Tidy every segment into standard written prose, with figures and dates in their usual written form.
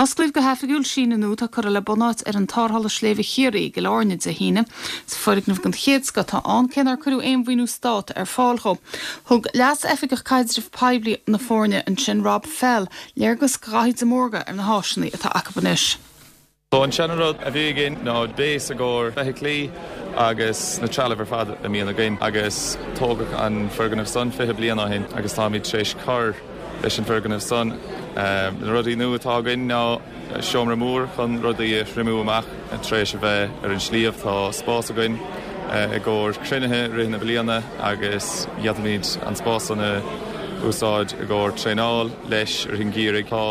Osclaíodh go hoifigiúil síneadh nua atá curtha le bunáit ar an Tarrthála Sléibhe Chiarraí i gCill Airne Dé hAoine. Is foirgneamh den chéad scoth atá ann, cé nár cuireadh aon mhaoiniú stát ar fáil dhó. Thug Leas-Oifigeach Caidrimh Poiblí na foirne ansin, Rob Fell, léargas do Dhaithí de Mórdha ar na háiseanna atá acu anois. So an seana rud a bhí againn ná base i gcomhair feithiclí agus na trealamh ar fad a mbíonn againn agus tógadh an foirgneamh san 20 bliain ó shin agus táimid tar éis cur leis an bhfoirgneamh san. Na rudaí nua atá againn ná seomra mór chun rudaí a thriomú amach tar éis a bheith ar an sliabh. Tá spás againn i gcomhair cruinnithe i rith na bliana agus d'fhéadfaimid an spás san a úsáid i gcomhair traenáil leis i rith an gheimhridh. Tá.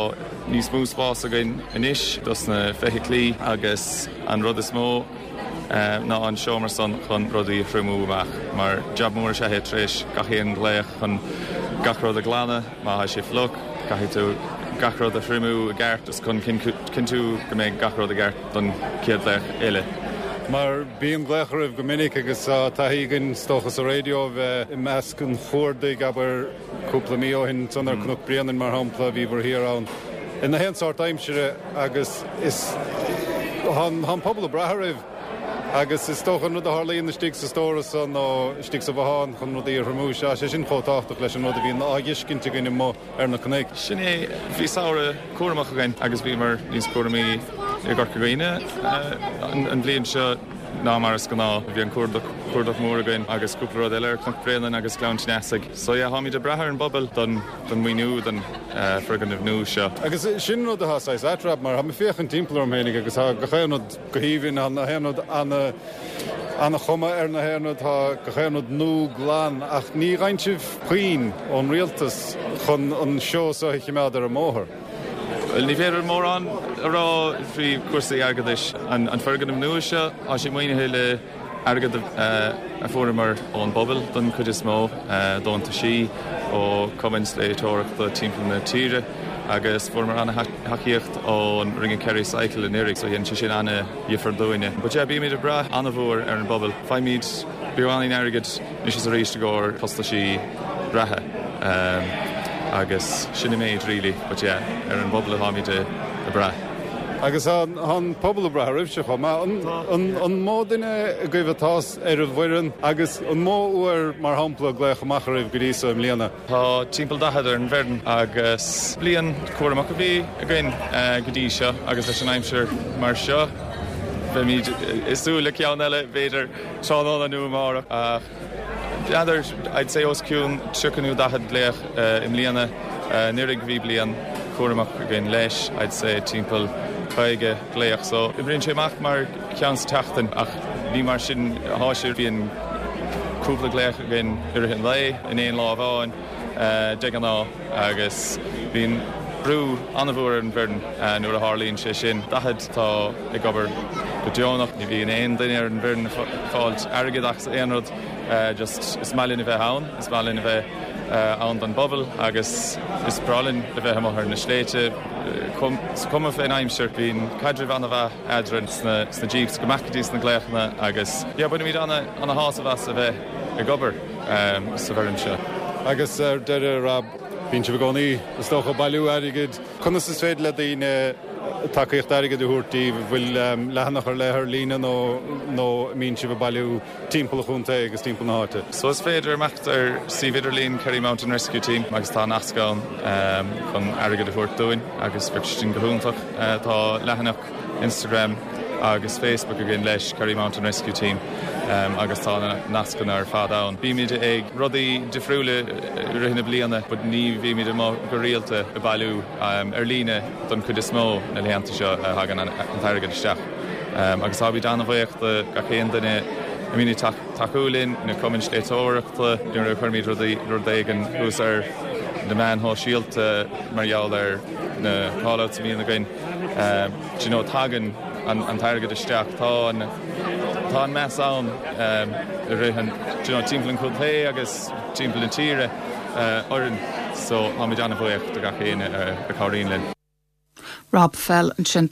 Níos mó spás againn anois dos na feithiclí agus an rud is mó ná an seomra san chun rudaí a thriomú amach mar jab mór is ea é tar éis gach aon ghlaoch chun gach rud a ghlanadh, má tá sé fliuch caithfidh tú gach rud a thriomú i gceart is chun cinntiú go mbeidh gach rud i gceart don chéad ghlaoch eile. Mar bíonn glaoch oraibh go minic agus tá taithí againn is dócha sa raidió a bheith i measc an chuardaigh, abair, Cúpla mí ó shin ansan ar Cnoc Bréanainn, mar shampla, bhí bhur thiar ann i ngach aon sórt aimsire agus is tá an pobal ag brath oraibh agus is dócha an rud a tharlaíonn istigh sa stóras san nó istigh sa bhothán chun rudaí a thriomú, tá sé sin chomh tábhachtach leis an rud a bhíonn á dh'fheiscint againn amuigh ar na cnoic. Sin é, bhí samhradh cúramach againn agus bhíomar níos cúramaí i gCorca Dhuibhne an bhliain seo. ná mar is gnáth. Bhí an cuardach, cuardach mór againn agus cúpla rud eile ar Chnoc Bréanainn agus Gleann tSneasaigh. So yeah, táimid ag brath ar an bpobal don, don maoiniú don foirgneamh nua seo. Agus sin rud atá saghas ait, Rob, mar tá mé ag féachaint timpeall orm fhéinig agus tá gach aon rud go haoibhinn, tá na haon rud ana, ana-chuma ar na haon rud, tá gach aon rud nua glan ach ní fhaigheann sibh puinn ón rialtas chun an seó seo a chimeád ar an mbóthar. Bhuel, ní féidir mórán a rá faoi chúrsaí airgeadais. An foirgneamh nua seo, tá sé maoinithe le airgead a fuaireamar ón bpobal don chuid is mó, deontaisí ó chumainn sléibhteoireachta timpeall na tíre agus fuaireamar an-thacaíocht ón Ring of Kerry Cycle anuraidh, so dhein sé sin an-dhifear dúinne. But yeah, bímid ag brath an-mhór ar an bpobal. Faighimid beagáinín airgid anois is arís i gcomhair costaisí reatha agus sin an méid really but yeah ar an bpobal atáimid ag brath. Agus tá an pobal ag brath oraibhse chomh maith. An mó duine agaibh atá ar an bhfoireann agus an mó uair mar shampla a glaodh amach oraibh go dtí so i mbliana? Tá timpeall 40 ar an bhfoireann agus bliain cúramach a bhí againn go dtí seo agus leis an aimsir mar seo beimid ag súil le ceann eile b'fhéidir tráthnóna nó amárach ach N'fheadar, I'd say os cionn 30 nó 40 glaoch i mbliana. Anuraidh bhí bliain chúramach againn leis, I'd say timpeall 50 glaoch. So oibríonn sé amach mar ceann sa tseachtain ach ní mar sin atá sé. Bíonn cúpla glaoch againn i rith an lae in aon lá amháin de ghnáth agus bíonn brú an-mhór ar an bhfoireann nuair a tharlaíonn sé sin. 40 atá ag obair go deonach. Ní bhíonn aon duine ar an bhfoireann ag fáilt airgid as aon rud. Just is maith linn a bheith ann, is maith linn a bheith ann don bpobal agus is breá linn a bheith amuigh ar na sléibhte. Is cuma fén aimsir, bíonn caidreamh an-mhaith eadrainn sna jeeps go mbeadh go dtí sna glaochanna agus yeah bainimid ana-shásamh as a bheith ag obair sa bhfoireann seo. Agus ar deireadh, Rob, bíonn sibh i gcónaí, is dócha, ag bailiú airgid. Conas is féidir le daoine tacaíocht airgid a thabhairt daoibh? An bhfuil leathanach ar leith ar líne nó nó an mbíonn sibh ag bailiú timpeall an chontae agus timpeall na háite? So is féidir imeacht ar suíomh idirlín Kerry Mountain Rescue Team agus tá nasc ann chun airgead a thabhairt dúinn agus bheadh sin go hiontach. Tá leathanach Instagram agus Facebook againn leis, Kerry Mountain Rescue Team, agus tá na nascanna ar fad ann. Bímid ag rudaí difriúla i rith na bliana but ní bhímid amuigh go rialta ag bailiú ar líne don chuid is mó na laethanta seo a thagann an t-airgead isteach. Agus táimid an-bhuíoch do gach aon duine a mbíonn ag tacú linn, na cumainn sléibhteoireachta, nuair a chuirimid rudaí, rud éigin thuas ar na meáin shóisialta mar gheall ar na callouts a bhíonn againn. Do you know, tagann an t-airgead isteach, tá an, tá an meas ann i rith an, do you know, timpeall an chontae agus timpeall na tíre orainn so táimid an-bhuíoch do gach éinne a chabhraíonn linn. Rob Fell ansin.